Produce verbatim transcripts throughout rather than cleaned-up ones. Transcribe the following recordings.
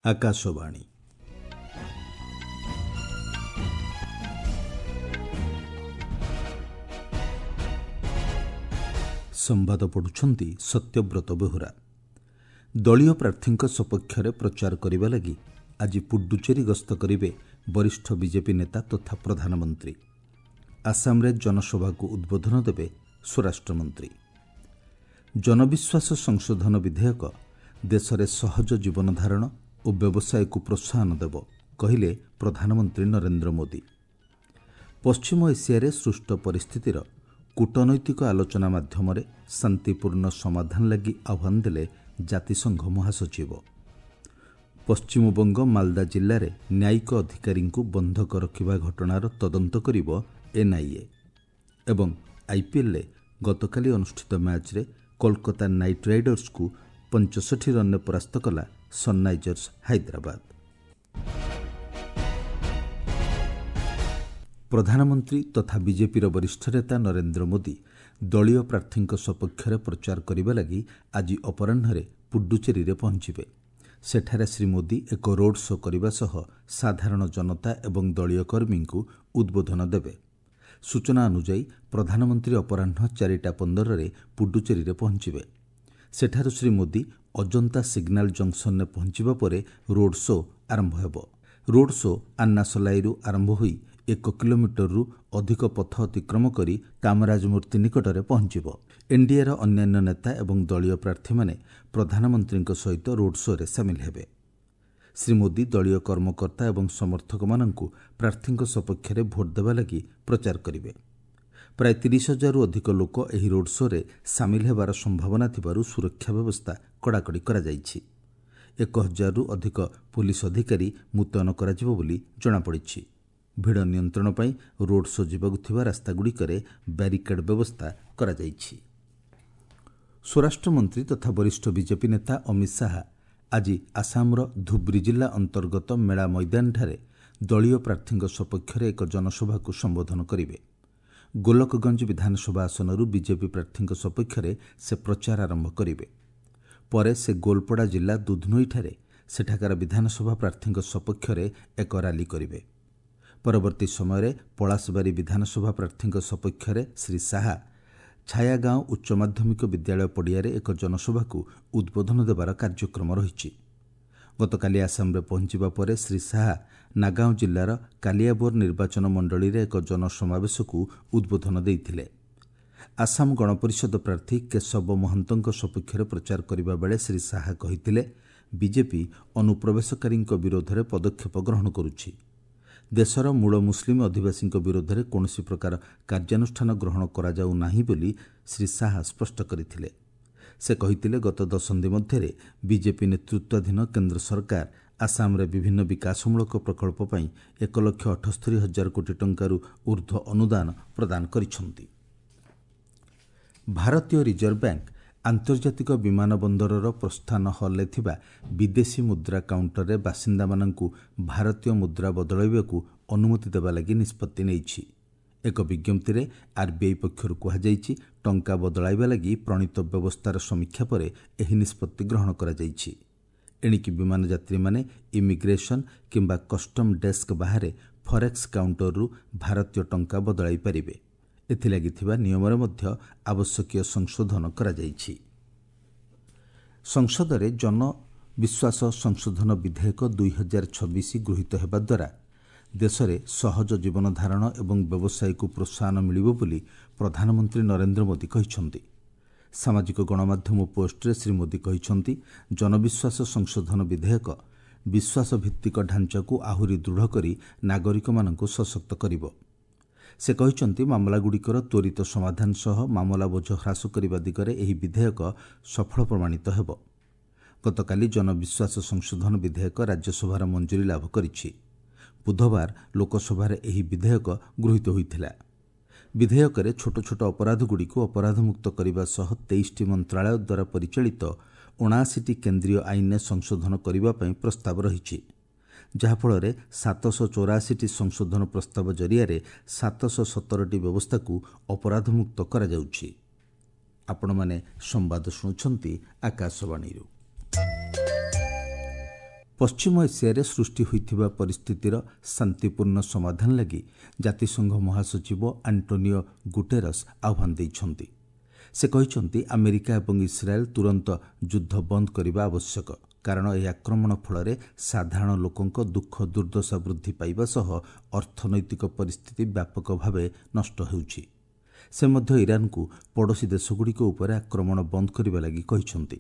ଆକାଶବାଣୀ। ସମ୍ବାଦ ପଢ଼ୁଛନ୍ତି ସତ୍ୟବ୍ରତ ବେହୁରା। ଦଳୀୟ ପ୍ରାର୍ଥୀଙ୍କ ସପକ୍ଷରେ ପ୍ରଚାର କରିବା ଲାଗି ଆଜି ପୁଡୁଚେରୀ ଗସ୍ତ କରିବେ ବରିଷ୍ଠ ବିଜେପି ନେତା ତଥା ପ୍ରଧାନମନ୍ତ୍ରୀ। ଆସାମରେ ଜନସଭାକୁ ଉଦ୍ବୋଧନ ଦେବେ ସ୍ୱରାଷ୍ଟ୍ରମନ୍ତ୍ରୀ। ଜନବିଶ୍ୱାସ ସଂଶୋଧନ ବିଧେୟକ ଦେଶରେ ସହଜ ଜୀବନଧାରଣ ଓ ବ୍ୟବସାୟକୁ ପ୍ରୋତ୍ସାହନ ଦେବ, କହିଲେ ପ୍ରଧାନମନ୍ତ୍ରୀ ନରେନ୍ଦ୍ର ମୋଦି। ପଶ୍ଚିମ ଏସିଆରେ ସୃଷ୍ଟ ପରିସ୍ଥିତିର କୂଟନୈତିକ ଆଲୋଚନା ମାଧ୍ୟମରେ ଶାନ୍ତିପୂର୍ଣ୍ଣ ସମାଧାନ ଲାଗି ଆହ୍ୱାନ ଦେଲେ ଜାତିସଂଘ ମହାସଚିବ। ପଶ୍ଚିମବଙ୍ଗ ମାଲଦା ଜିଲ୍ଲାରେ ନ୍ୟାୟିକ ଅଧିକାରୀଙ୍କୁ ବନ୍ଧକ ରଖିବା ଘଟଣାର ତଦନ୍ତ କରିବ ଏନ୍ଆଇଏ। ଏବଂ ଆଇପିଏଲ୍ରେ ଗତକାଲି ଅନୁଷ୍ଠିତ ମ୍ୟାଚ୍ରେ କୋଲକାତା ନାଇଟ୍ ରାଇଡର୍ସକୁ ପଞ୍ଚଷଠି ରନ୍ରେ ପରାସ୍ତ କଲା ସନ୍ରାଇଜର୍ସ ହାଇଦ୍ରାବାଦ। ପ୍ରଧାନମନ୍ତ୍ରୀ ତଥା ବିଜେପିର ବରିଷ୍ଠ ନେତା ନରେନ୍ଦ୍ର ମୋଦି ଦଳୀୟ ପ୍ରାର୍ଥୀଙ୍କ ସପକ୍ଷରେ ପ୍ରଚାର କରିବା ଲାଗି ଆଜି ଅପରାହ୍ନରେ ପୁଡୁଚେରୀରେ ପହଞ୍ଚିବେ। ସେଠାରେ ଶ୍ରୀ ମୋଦି ଏକ ରୋଡ୍ ଶୋ କରିବା ସହ ସାଧାରଣ ଜନତା ଏବଂ ଦଳୀୟ କର୍ମୀଙ୍କୁ ଉଦ୍ବୋଧନ ଦେବେ। ସୂଚନା ଅନୁଯାୟୀ, ପ୍ରଧାନମନ୍ତ୍ରୀ ଅପରାହ୍ନ ଚାରିଟା ପନ୍ଦରରେ ପୁଡୁଚେରୀରେ ପହଞ୍ଚିବେ। ସେଠାରୁ ଶ୍ରୀ ମୋଦି ଅଜନ୍ତା ସିଗ୍ନାଲ ଜଙ୍କସନ୍ରେ ପହଞ୍ଚିବା ପରେ ରୋଡ୍ ଶୋ ଆରମ୍ଭ ହେବ। ରୋଡ୍ ଶୋ ଆନ୍ନାସଲାଇରୁ ଆରମ୍ଭ ହୋଇ ଏକ କିଲୋମିଟରରୁ ଅଧିକ ପଥ ଅତିକ୍ରମ କରି କାମରାଜ ମୂର୍ତ୍ତି ନିକଟରେ ପହଞ୍ଚିବ। ଏନ୍ଡିଏର ଅନ୍ୟାନ୍ୟ ନେତା ଏବଂ ଦଳୀୟ ପ୍ରାର୍ଥୀମାନେ ପ୍ରଧାନମନ୍ତ୍ରୀଙ୍କ ସହିତ ରୋଡ୍ ଶୋରେ ସାମିଲ ହେବେ। ଶ୍ରୀ ମୋଦି ଦଳୀୟ କର୍ମକର୍ତ୍ତା ଏବଂ ସମର୍ଥକମାନଙ୍କୁ ପ୍ରାର୍ଥୀଙ୍କ ସପକ୍ଷରେ ଭୋଟ୍ ଦେବା ଲାଗି ପ୍ରଚାର କରିବେ। ପ୍ରାୟ ତିରିଶ ହଜାରରୁ ଅଧିକ ଲୋକ ଏହି ରୋଡ୍ ଶୋରେ ସାମିଲ ହେବାର ସମ୍ଭାବନା ଥିବାରୁ ସୁରକ୍ଷା ବ୍ୟବସ୍ଥା କଡ଼ାକଡ଼ି କରାଯାଇଛି। ଏକ ହଜାରରୁ ଅଧିକ ପୁଲିସ ଅଧିକାରୀ ମୁତୟନ କରାଯିବ ବୋଲି ଜଣାପଡ଼ିଛି। ଭିଡ଼ ନିୟନ୍ତ୍ରଣ ପାଇଁ ରୋଡ୍ ଶୋ ଯିବାକୁ ଥିବା ରାସ୍ତାଗୁଡ଼ିକରେ ବ୍ୟାରିକେଡ୍ ବ୍ୟବସ୍ଥା କରାଯାଇଛି। ସ୍ୱରାଷ୍ଟ୍ରମନ୍ତ୍ରୀ ତଥା ବରିଷ୍ଠ ବିଜେପି ନେତା ଅମିତ ଶାହା ଆଜି ଆସାମର ଧୁବ୍ରି ଜିଲ୍ଲା ଅନ୍ତର୍ଗତ ମେଳା ମଇଦାନଠାରେ ଦଳୀୟ ପ୍ରାର୍ଥୀଙ୍କ ସପକ୍ଷରେ ଏକ ଜନସଭାକୁ ସମ୍ବୋଧନ କରିବେ। ଗୋଲକଗଞ୍ଜ ବିଧାନସଭା ଆସନରୁ ବିଜେପି ପ୍ରାର୍ଥୀଙ୍କ ସପକ୍ଷରେ ସେ ପ୍ରଚାର ଆରମ୍ଭ କରିବେ। ପରେ ସେ ଗୋଲପଡ଼ା ଜିଲ୍ଲା ଦୁଧନୋଇଠାରେ ସେଠାକାର ବିଧାନସଭା ପ୍ରାର୍ଥୀଙ୍କ ସପକ୍ଷରେ ଏକ ରାଲି କରିବେ। ପରବର୍ତ୍ତୀ ସମୟରେ ପଳାଶବାରୀ ବିଧାନସଭା ପ୍ରାର୍ଥୀଙ୍କ ସପକ୍ଷରେ ଶ୍ରୀ ଶାହା ଛାୟାଗାଁଓ ଉଚ୍ଚ ମାଧ୍ୟମିକ ବିଦ୍ୟାଳୟ ପଡ଼ିଆରେ ଏକ ଜନସଭାକୁ ଉଦ୍ବୋଧନ ଦେବାର କାର୍ଯ୍ୟକ୍ରମ ରହିଛି। ଗତକାଲି ଆସାମରେ ପହଞ୍ଚିବା ପରେ ଶ୍ରୀ ଶାହା ନାଗାଓଁ ଜିଲ୍ଲାର କାଲିଆବୋର ନିର୍ବାଚନ ମଣ୍ଡଳୀରେ ଏକ ଜନସମାବେଶକୁ ଉଦ୍ବୋଧନ ଦେଇଥିଲେ। ଆସାମ ଗଣପରିଷଦ ପ୍ରାର୍ଥୀ କେଶବ ମହନ୍ତଙ୍କ ସପକ୍ଷରେ ପ୍ରଚାର କରିବା ବେଳେ ଶ୍ରୀ ଶାହା କହିଥିଲେ, ବିଜେପି ଅନୁପ୍ରବେଶକାରୀଙ୍କ ବିରୋଧରେ ପଦକ୍ଷେପ ଗ୍ରହଣ କରୁଛି। ଦେଶର ମୂଳ ମୁସଲିମ ଅଧିବାସୀଙ୍କ ବିରୋଧରେ କୌଣସି ପ୍ରକାର କାର୍ଯ୍ୟାନୁଷ୍ଠାନ ଗ୍ରହଣ କରାଯାଉ ନାହିଁ ବୋଲି ଶ୍ରୀ ଶାହା ସ୍ପଷ୍ଟ କରିଥିଲେ। ସେ କହିଥିଲେ, ଗତ ଦଶନ୍ଧି ମଧ୍ୟରେ ବିଜେପି ନେତୃତ୍ୱାଧୀନ କେନ୍ଦ୍ର ସରକାର ଆସାମରେ ବିଭିନ୍ନ ବିକାଶମୂଳକ ପ୍ରକଳ୍ପ ପାଇଁ ଏକ ଲକ୍ଷ ଅଠସ୍ତରୀ ହଜାର କୋଟି ଟଙ୍କାରୁ ଉର୍ଦ୍ଧ୍ୱ ଅନୁଦାନ ପ୍ରଦାନ କରିଛନ୍ତି। ଭାରତୀୟ ରିଜର୍ଭ ବ୍ୟାଙ୍କ ଆନ୍ତର୍ଜାତିକ ବିମାନ ବନ୍ଦରର ପ୍ରସ୍ଥାନ ହଲ୍ରେ ଥିବା ବିଦେଶୀ ମୁଦ୍ରା କାଉଣ୍ଟରରେ ବାସିନ୍ଦାମାନଙ୍କୁ ଭାରତୀୟ ମୁଦ୍ରା ବଦଳାଇବାକୁ ଅନୁମତି ଦେବା ଲାଗି ନିଷ୍ପତ୍ତି ନେଇଛି। ଏକ ବିଜ୍ଞପ୍ତିରେ ଆର୍ବିଆଇ ପକ୍ଷରୁ କୁହାଯାଇଛି, ଟଙ୍କା ବଦଳାଇବା ଲାଗି ପ୍ରଣୀତ ବ୍ୟବସ୍ଥାର ସମୀକ୍ଷା ପରେ ଏହି ନିଷ୍ପତ୍ତି ଗ୍ରହଣ କରାଯାଇଛି। ଏଣିକି ବିମାନ ଯାତ୍ରୀମାନେ ଇମିଗ୍ରେସନ୍ କିମ୍ବା କଷ୍ଟମ ଡେସ୍କ ବାହାରେ ଫରେକ୍ସ କାଉଣ୍ଟରରୁ ଭାରତୀୟ ଟଙ୍କା ବଦଳାଇ ପାରିବେ। ଏଥିଲାଗି ଥିବା ନିୟମରେ ମଧ୍ୟ ଆବଶ୍ୟକୀୟ ସଂଶୋଧନ କରାଯାଇଛି। ସଂସଦରେ ଜନବିଶ୍ୱାସ ସଂଶୋଧନ ବିଧେୟକ ଦୁଇ ହଜାର ଛବିଶ ଗୃହୀତ ହେବା ଦ୍ୱାରା ଦେଶରେ ସହଜ ଜୀବନଧାରଣ ଏବଂ ବ୍ୟବସାୟକୁ ପ୍ରୋତ୍ସାହନ ମିଳିବ ବୋଲି ପ୍ରଧାନମନ୍ତ୍ରୀ ନରେନ୍ଦ୍ର ମୋଦି କହିଛନ୍ତି। ସାମାଜିକ ଗଣମାଧ୍ୟମ ପୋଷ୍ଟରେ ଶ୍ରୀ ମୋଦି କହିଛନ୍ତି, ଜନବିଶ୍ୱାସ ସଂଶୋଧନ ବିଧେୟକ ବିଶ୍ୱାସଭିତ୍ତିକ ଢାଞ୍ଚାକୁ ଆହୁରି ଦୃଢ଼ କରି ନାଗରିକମାନଙ୍କୁ ସଶକ୍ତ କରିବ। ସେ କହିଛନ୍ତି, ମାମଲାଗୁଡ଼ିକର ତ୍ୱରିତ ସମାଧାନ ସହ ମାମଲା ବୋଝ ହ୍ରାସ କରିବା ଦିଗରେ ଏହି ବିଧେୟକ ସଫଳ ପ୍ରମାଣିତ ହେବ। ଗତକାଲି ଜନବିଶ୍ୱାସ ସଂଶୋଧନ ବିଧେୟକ ରାଜ୍ୟସଭାର ମଞ୍ଜୁରୀ ଲାଭ କରିଛି। ବୁଧବାର ଲୋକସଭାରେ ଏହି ବିଧେୟକ ଗୃହୀତ ହୋଇଥିଲା। ବିଧେୟକରେ ଛୋଟ ଛୋଟ ଅପରାଧଗୁଡ଼ିକୁ ଅପରାଧମୁକ୍ତ କରିବା ସହ ତେଇଶଟି ମନ୍ତ୍ରଣାଳୟ ଦ୍ୱାରା ପରିଚାଳିତ ଅଣାଅଶୀଟି କେନ୍ଦ୍ରୀୟ ଆଇନରେ ସଂଶୋଧନ କରିବା ପାଇଁ ପ୍ରସ୍ତାବ ରହିଛି, ଯାହାଫଳରେ ସାତଶହ ଚଉରାଅଶୀଟି ସଂଶୋଧନ ପ୍ରସ୍ତାବ ଜରିଆରେ ସାତଶହ ସତରଟି ବ୍ୟବସ୍ଥାକୁ ଅପରାଧମୁକ୍ତ କରାଯାଉଛି। ଆପଣମାନେ ସମ୍ବାଦ ଶୁଣୁଛନ୍ତି ଆକାଶବାଣୀରୁ। ପଶ୍ଚିମ ଏସିଆରେ ସୃଷ୍ଟି ହୋଇଥିବା ପରିସ୍ଥିତିର ଶାନ୍ତିପୂର୍ଣ୍ଣ ସମାଧାନ ଲାଗି ଜାତିସଂଘ ମହାସଚିବ ଆଣ୍ଟୋନିଓ ଗୁଟେରସ୍ ଆହ୍ୱାନ ଦେଇଛନ୍ତି। ସେ କହିଛନ୍ତି, ଆମେରିକା ଏବଂ ଇସ୍ରାଏଲ୍ ତୁରନ୍ତ ଯୁଦ୍ଧ ବନ୍ଦ କରିବା ଆବଶ୍ୟକ, କାରଣ ଏହି ଆକ୍ରମଣ ଫଳରେ ସାଧାରଣ ଲୋକଙ୍କ ଦୁଃଖ ଦୁର୍ଦ୍ଦଶା ବୃଦ୍ଧି ପାଇବା ସହ ଅର୍ଥନୈତିକ ପରିସ୍ଥିତି ବ୍ୟାପକ ଭାବେ ନଷ୍ଟ ହେଉଛି। ସେ ମଧ୍ୟ ଇରାନକୁ ପଡ଼ୋଶୀ ଦେଶଗୁଡ଼ିକ ଉପରେ ଆକ୍ରମଣ ବନ୍ଦ କରିବା ଲାଗି କହିଛନ୍ତି।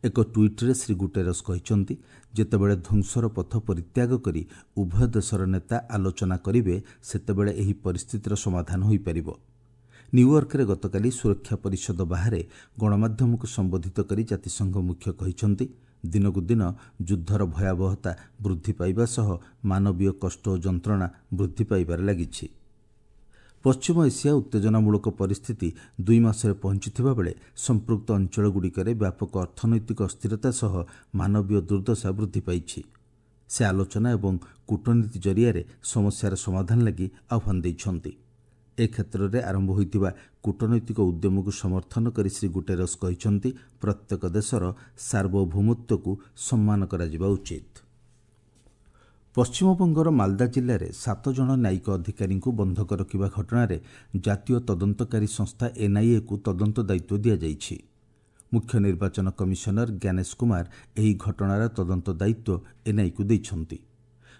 ଏକ ଟ୍ୱିଟ୍ରେ ଶ୍ରୀ ଗୁଟେରସ୍ କହିଛନ୍ତି, ଯେତେବେଳେ ଧ୍ୱଂସର ପଥ ପରିତ୍ୟାଗ କରି ଉଭୟ ଦେଶର ନେତା ଆଲୋଚନା କରିବେ, ସେତେବେଳେ ଏହି ପରିସ୍ଥିତିର ସମାଧାନ ହୋଇପାରିବ। ନ୍ୟୁୟର୍କରେ ଗତକାଲି ସୁରକ୍ଷା ପରିଷଦ ବାହାରେ ଗଣମାଧ୍ୟମକୁ ସମ୍ବୋଧିତ କରି ଜାତିସଂଘ ମୁଖ୍ୟ କହିଛନ୍ତି, ଦିନକୁ ଦିନ ଯୁଦ୍ଧର ଭୟାବହତା ବୃଦ୍ଧି ପାଇବା ସହ ମାନବୀୟ କଷ୍ଟ ଓ ଯନ୍ତ୍ରଣା ବୃଦ୍ଧି ପାଇବାରେ ଲାଗିଛି। ପଶ୍ଚିମ ଏସିଆ ଉତ୍ତେଜନାମୂଳକ ପରିସ୍ଥିତି ଦୁଇ ମାସରେ ପହଞ୍ଚିଥିବା ବେଳେ ସମ୍ପୃକ୍ତ ଅଞ୍ଚଳଗୁଡ଼ିକରେ ବ୍ୟାପକ ଅର୍ଥନୈତିକ ଅସ୍ଥିରତା ସହ ମାନବୀୟ ଦୁର୍ଦ୍ଦଶା ବୃଦ୍ଧି ପାଇଛି। ସେ ଆଲୋଚନା ଏବଂ କୂଟନୀତି ଜରିଆରେ ସମସ୍ୟାର ସମାଧାନ ଲାଗି ଆହ୍ୱାନ ଦେଇଛନ୍ତି। ଏ କ୍ଷେତ୍ରରେ ଆରମ୍ଭ ହୋଇଥିବା କୂଟନୈତିକ ଉଦ୍ୟମକୁ ସମର୍ଥନ କରି ଶ୍ରୀ ଗୁଟେରସ୍ କହିଛନ୍ତି, ପ୍ରତ୍ୟେକ ଦେଶର ସାର୍ବଭୌମତ୍ୱକୁ ସମ୍ମାନ କରାଯିବା ଉଚିତ। ପଶ୍ଚିମବଙ୍ଗର ମାଲଦା ଜିଲ୍ଲାରେ ସାତ ଜଣ ନ୍ୟାୟିକ ଅଧିକାରୀଙ୍କୁ ବନ୍ଧକ ରଖିବା ଘଟଣାରେ ଜାତୀୟ ତଦନ୍ତକାରୀ ସଂସ୍ଥା ଏନ୍ଆଇଏକୁ ତଦନ୍ତ ଦାୟିତ୍ୱ ଦିଆଯାଇଛି। ମୁଖ୍ୟ ନିର୍ବାଚନ କମିଶନର ଜ୍ଞାନେଶ କୁମାର ଏହି ଘଟଣାର ତଦନ୍ତ ଦାୟିତ୍ୱ ଏନ୍ଆଇକୁ ଦେଇଛନ୍ତି।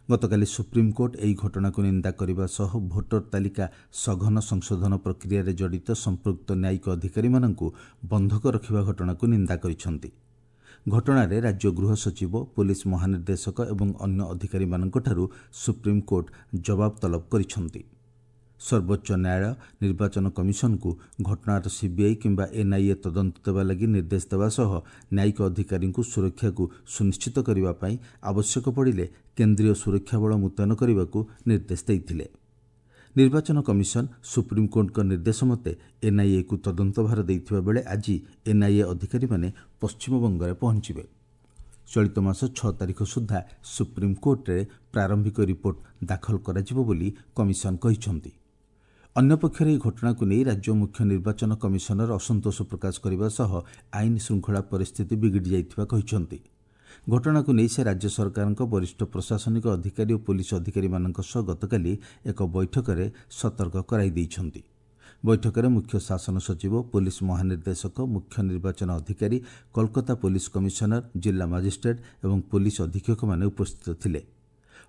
ଗତକାଲି ସୁପ୍ରିମକୋର୍ଟ ଏହି ଘଟଣାକୁ ନିନ୍ଦା କରିବା ସହ ଭୋଟର ତାଲିକା ସଘନ ସଂଶୋଧନ ପ୍ରକ୍ରିୟାରେ ଜଡ଼ିତ ସମ୍ପୃକ୍ତ ନ୍ୟାୟିକ ଅଧିକାରୀମାନଙ୍କୁ ବନ୍ଧକ ରଖିବା ଘଟଣାକୁ ନିନ୍ଦା କରିଛନ୍ତି। ଘଟଣାରେ ରାଜ୍ୟ ଗୃହ ସଚିବ, ପୋଲିସ ମହାନିର୍ଦ୍ଦେଶକ ଏବଂ ଅନ୍ୟ ଅଧିକାରୀମାନଙ୍କଠାରୁ ସୁପ୍ରିମକୋର୍ଟ ଜବାବ ତଲବ କରିଛନ୍ତି। ସର୍ବୋଚ୍ଚ ନ୍ୟାୟାଳୟ ନିର୍ବାଚନ କମିଶନକୁ ଘଟଣାର ସିବିଆଇ କିମ୍ବା ଏନ୍ଆଇଏ ତଦନ୍ତ ଦେବା ଲାଗି ନିର୍ଦ୍ଦେଶ ଦେବା ସହ ନ୍ୟାୟିକ ଅଧିକାରୀଙ୍କୁ ସୁରକ୍ଷାକୁ ସୁନିଶ୍ଚିତ କରିବା ପାଇଁ ଆବଶ୍ୟକ ପଡ଼ିଲେ କେନ୍ଦ୍ରୀୟ ସୁରକ୍ଷା ବଳ ମୁତୟନ କରିବାକୁ ନିର୍ଦ୍ଦେଶ ଦେଇଥିଲେ। ନିର୍ବାଚନ କମିଶନ ସୁପ୍ରିମକୋର୍ଟଙ୍କ ନିର୍ଦ୍ଦେଶ ମତେ ଏନ୍ଆଇଏକୁ ତଦନ୍ତ ଭାର ଦେଇଥିବା ବେଳେ ଆଜି ଏନ୍ଆଇଏ ଅଧିକାରୀମାନେ ପଶ୍ଚିମବଙ୍ଗରେ ପହଞ୍ଚିବେ। ଚଳିତ ମାସ ଛଅ ତାରିଖ ସୁଦ୍ଧା ସୁପ୍ରିମକୋର୍ଟରେ ପ୍ରାରମ୍ଭିକ ରିପୋର୍ଟ ଦାଖଲ କରାଯିବ ବୋଲି କମିଶନ କହିଛନ୍ତି। ଅନ୍ୟପକ୍ଷରେ ଏହି ଘଟଣାକୁ ନେଇ ରାଜ୍ୟ ମୁଖ୍ୟ ନିର୍ବାଚନ କମିଶନର ଅସନ୍ତୋଷ ପ୍ରକାଶ କରିବା ସହ ଆଇନ ଶୃଙ୍ଖଳା ପରିସ୍ଥିତି ବିଗିଡ଼ି ଯାଇଥିବା କହିଛନ୍ତି। ଘଟଣାକୁ ନେଇ ସେ ରାଜ୍ୟ ସରକାରଙ୍କ ବରିଷ୍ଠ ପ୍ରଶାସନିକ ଅଧିକାରୀ ଓ ପୋଲିସ ଅଧିକାରୀମାନଙ୍କ ସହ ଗତକାଲି ଏକ ବୈଠକରେ ସତର୍କ କରାଇ ଦେଇଛନ୍ତି। ବୈଠକରେ ମୁଖ୍ୟ ଶାସନ ସଚିବ, ପୋଲିସ ମହାନିର୍ଦ୍ଦେଶକ, ମୁଖ୍ୟ ନିର୍ବାଚନ ଅଧିକାରୀ, କୋଲକାତା ପୋଲିସ କମିଶନର, ଜିଲ୍ଲା ମାଜିଷ୍ଟ୍ରେଟ୍ ଏବଂ ପୋଲିସ ଅଧୀକ୍ଷକମାନେ ଉପସ୍ଥିତ ଥିଲେ।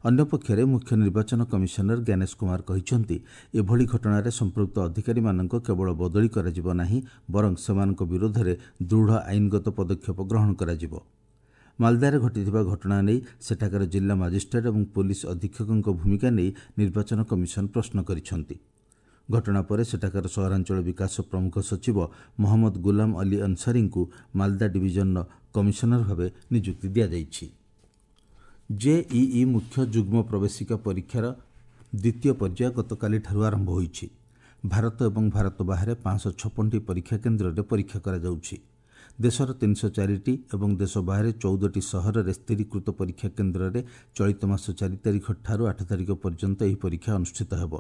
ଅନ୍ୟପକ୍ଷରେ ମୁଖ୍ୟ ନିର୍ବାଚନ କମିଶନର ଜ୍ଞାନେଶ କୁମାର କହିଛନ୍ତି, ଏଭଳି ଘଟଣାରେ ସମ୍ପୃକ୍ତ ଅଧିକାରୀମାନଙ୍କ କେବଳ ବଦଳି କରାଯିବ ନାହିଁ, ବରଂ ସେମାନଙ୍କ ବିରୋଧରେ ଦୃଢ଼ ଆଇନଗତ ପଦକ୍ଷେପ ଗ୍ରହଣ କରାଯିବ। ମାଲଦାରେ ଘଟିଥିବା ଘଟଣା ନେଇ ସେଠାକାର ଜିଲ୍ଲା ମାଜିଷ୍ଟ୍ରେଟ୍ ଏବଂ ପୋଲିସ ଅଧୀକ୍ଷକଙ୍କ ଭୂମିକା ନେଇ ନିର୍ବାଚନ କମିଶନ ପ୍ରଶ୍ନ କରିଛନ୍ତି। ଘଟଣା ପରେ ସେଠାକାର ସହରାଞ୍ଚଳ ବିକାଶ ପ୍ରମୁଖ ସଚିବ ମହମ୍ମଦ ଗୁଲାମ ଅଲି ଅନସାରୀଙ୍କୁ ମାଲଦା ଡିଭିଜନର କମିଶନର ଭାବେ ନିଯୁକ୍ତି ଦିଆଯାଇଛି। ଜେଇଇ ମୁଖ୍ୟ ଯୁଗ୍ମ ପ୍ରବେଶିକା ପରୀକ୍ଷାର ଦ୍ୱିତୀୟ ପର୍ଯ୍ୟାୟ ଗତକାଲିଠାରୁ ଆରମ୍ଭ ହୋଇଛି। ଭାରତ ଏବଂ ଭାରତ ବାହାରେ ପାଞ୍ଚଶହ ଛପନଟି ପରୀକ୍ଷା କେନ୍ଦ୍ରରେ ପରୀକ୍ଷା କରାଯାଉଛି। ଦେଶର ତିନିଶହ ଚାରିଟି ଏବଂ ଦେଶ ବାହାରେ ଚଉଦଟି ସହରରେ ସ୍ଥିରୀକୃତ ପରୀକ୍ଷା କେନ୍ଦ୍ରରେ ଚଳିତ ମାସ ଚାରି ତାରିଖଠାରୁ ଆଠ ତାରିଖ ପର୍ଯ୍ୟନ୍ତ ଏହି ପରୀକ୍ଷା ଅନୁଷ୍ଠିତ ହେବ।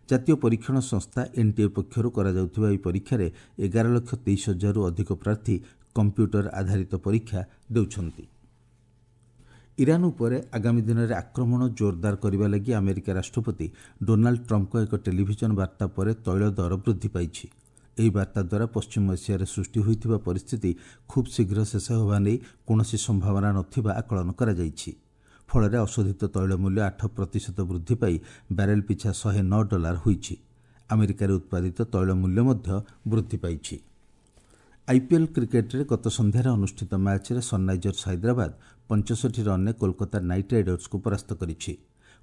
ଜାତୀୟ ପରୀକ୍ଷଣ ସଂସ୍ଥା ଏନ୍ଟିଏ ପକ୍ଷରୁ କରାଯାଉଥିବା ଏହି ପରୀକ୍ଷାରେ ଏଗାର ଲକ୍ଷ ତେଇଶ ହଜାରରୁ ଅଧିକ ପ୍ରାର୍ଥୀ କମ୍ପ୍ୟୁଟର ଆଧାରିତ ପରୀକ୍ଷା ଦେଉଛନ୍ତି। ଇରାନ ଉପରେ ଆଗାମୀ ଦିନରେ ଆକ୍ରମଣ ଜୋରଦାର କରିବା ଲାଗି ଆମେରିକା ରାଷ୍ଟ୍ରପତି ଡୋନାଲ୍ଡ ଟ୍ରମ୍ପଙ୍କ ଏକ ଟେଲିଭିଜନ ବାର୍ତ୍ତା ପରେ ତୈଳ ଦର ବୃଦ୍ଧି ପାଇଛି। ଏହି ବାର୍ତ୍ତା ଦ୍ୱାରା ପଶ୍ଚିମ ଏସିଆରେ ସୃଷ୍ଟି ହୋଇଥିବା ପରିସ୍ଥିତି ଖୁବ୍ ଶୀଘ୍ର ଶେଷ ହେବା ନେଇ କୌଣସି ସମ୍ଭାବନା ନଥିବା ଆକଳନ କରାଯାଇଛି। ଫଳରେ ଅଶୋଧିତ ତୈଳ ମୂଲ୍ୟ ଆଠ ପ୍ରତିଶତ ବୃଦ୍ଧି ପାଇ ବ୍ୟାରେଲ ପିଛା ଶହେ ନଅ ଡଲାର ହୋଇଛି। ଆମେରିକାରେ ଉତ୍ପାଦିତ ତୈଳ ମୂଲ୍ୟ ମଧ୍ୟ ବୃଦ୍ଧି ପାଇଛି। ଆଇପିଏଲ୍ କ୍ରିକେଟରେ ଗତ ସନ୍ଧ୍ୟାରେ ଅନୁଷ୍ଠିତ ମ୍ୟାଚ୍ରେ ସନ୍ରାଇଜର୍ସ ହାଇଦ୍ରାବାଦ ପଞ୍ଚଷଠି ରନ୍ରେ କୋଲକାତା ନାଇଟ୍ ରାଇଡର୍ସକୁ ପରାସ୍ତ କରିଛି।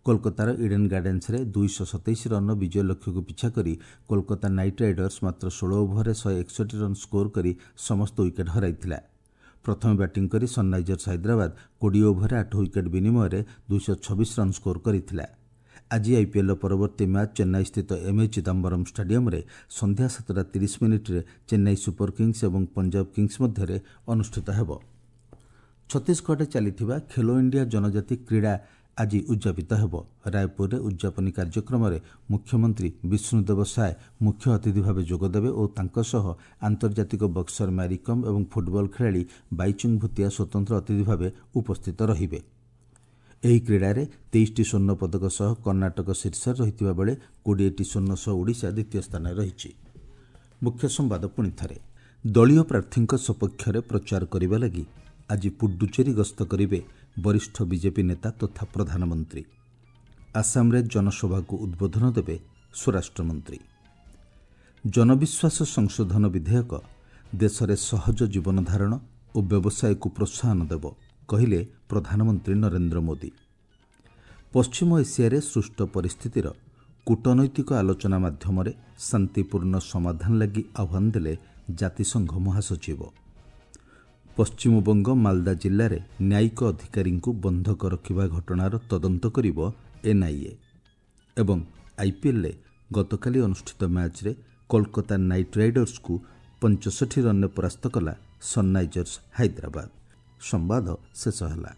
କୋଲକାତାର ଇଡେନ୍ ଗାର୍ଡେନ୍ସରେ ଦୁଇଶହ ସତେଇଶ ରନ୍ର ବିଜୟ ଲକ୍ଷ୍ୟକୁ ପିଛା କରି କୋଲକାତା ନାଇଟ୍ ରାଇଡର୍ସ ମାତ୍ର ଷୋହଳ ଓଭରରେ ଶହେ ଏକଷଠି ରନ୍ ସ୍କୋର କରି ସମସ୍ତ ୱିକେଟ୍ ହରାଇଥିଲା। ପ୍ରଥମେ ବ୍ୟାଟିଂ କରି ସନ୍ରାଇଜର୍ସ ହାଇଦ୍ରାବାଦ କୋଡ଼ିଏ ଓଭରରେ ଆଠ ୱିକେଟ୍ ବିନିମୟରେ ଦୁଇଶହ ଛବିଶ ରନ୍ ସ୍କୋର କରିଥିଲା। ଆଜି ଆଇପିଏଲ୍ର ପରବର୍ତ୍ତୀ ମ୍ୟାଚ୍ ଚେନ୍ନାଇସ୍ଥିତ ଏମ୍ଏ ଚିଦାମ୍ବରମ୍ ଷ୍ଟାଡିୟମ୍ରେ ସନ୍ଧ୍ୟା ସାତଟା ତିରିଶ ମିନିଟ୍ରେ ଚେନ୍ନାଇ ସୁପର କିଙ୍ଗସ୍ ଏବଂ ପଞ୍ଜାବ କିଙ୍ଗସ୍ ମଧ୍ୟରେ ଅନୁଷ୍ଠିତ ହେବ। ଛତିଶଗଡ଼ରେ ଚାଲିଥିବା ଖେଲୋ ଇଣ୍ଡିଆ ଜନଜାତି କ୍ରୀଡ଼ା ଆଜି ଉଦ୍ଯାପିତ ହେବ। ରାୟପୁରରେ ଉଦ୍ଯାପନୀ କାର୍ଯ୍ୟକ୍ରମରେ ମୁଖ୍ୟମନ୍ତ୍ରୀ ବିଷ୍ଣୁଦେବ ସାଏ ମୁଖ୍ୟ ଅତିଥି ଭାବେ ଯୋଗଦେବେ ଓ ତାଙ୍କ ସହ ଆନ୍ତର୍ଜାତିକ ବକ୍ସର ମ୍ୟାରିକମ୍ ଏବଂ ଫୁଟବଲ ଖେଳାଳି ବାଇଚୁଙ୍ଗ ଭୁତିଆ ସ୍ୱତନ୍ତ୍ର ଅତିଥି ଭାବେ ଉପସ୍ଥିତ ରହିବେ। ଏହି କ୍ରୀଡ଼ାରେ ତେଇଶଟି ସ୍ୱର୍ଣ୍ଣ ପଦକ ସହ କର୍ଣ୍ଣାଟକ ଶୀର୍ଷରେ ରହିଥିବା ବେଳେ କୋଡ଼ିଏଟି ସ୍ୱର୍ଣ୍ଣ ସହ ଓଡ଼ିଶା ଦ୍ୱିତୀୟ ସ୍ଥାନରେ ରହିଛି। ମୁଖ୍ୟ ସମ୍ବାଦ ପୁଣି ଥରେ। ଦଳୀୟ ପ୍ରାର୍ଥୀଙ୍କ ସପକ୍ଷରେ ପ୍ରଚାର କରିବା ଲାଗି ଆଜି ପୁଡୁଚେରୀ ଗସ୍ତ କରିବେ ବରିଷ୍ଠ ବିଜେପି ନେତା ତଥା ପ୍ରଧାନମନ୍ତ୍ରୀ। ଆସାମରେ ଜନସଭାକୁ ଉଦ୍ବୋଧନ ଦେବେ ସ୍ୱରାଷ୍ଟ୍ରମନ୍ତ୍ରୀ। ଜନବିଶ୍ୱାସ ସଂଶୋଧନ ବିଧେୟକ ଦେଶରେ ସହଜ ଜୀବନଧାରଣ ଓ ବ୍ୟବସାୟକୁ ପ୍ରୋତ୍ସାହନ ଦେବ, କହିଲେ ପ୍ରଧାନମନ୍ତ୍ରୀ ନରେନ୍ଦ୍ର ମୋଦି। ପଶ୍ଚିମ ଏସିଆରେ ସୃଷ୍ଟ ପରିସ୍ଥିତିର କୂଟନୈତିକ ଆଲୋଚନା ମାଧ୍ୟମରେ ଶାନ୍ତିପୂର୍ଣ୍ଣ ସମାଧାନ ଲାଗି ଆହ୍ୱାନ ଦେଲେ ଜାତିସଂଘ ମହାସଚିବ। ପଶ୍ଚିମବଙ୍ଗ ମାଲଦା ଜିଲ୍ଲାରେ ନ୍ୟାୟିକ ଅଧିକାରୀଙ୍କୁ ବନ୍ଧକ ରଖିବା ଘଟଣାର ତଦନ୍ତ କରିବ ଏନ୍ଆଇଏ। ଏବଂ ଆଇପିଏଲ୍ରେ ଗତକାଲି ଅନୁଷ୍ଠିତ ମ୍ୟାଚ୍ରେ କୋଲକାତା ନାଇଟ୍ ରାଇଡର୍ସକୁ ପଞ୍ଚଷଠି ରନ୍ରେ ପରାସ୍ତ କଲା ସନ୍ରାଇଜର୍ସ ହାଇଦ୍ରାବାଦ। ସମ୍ବାଦ ଶେଷ ହେଲା।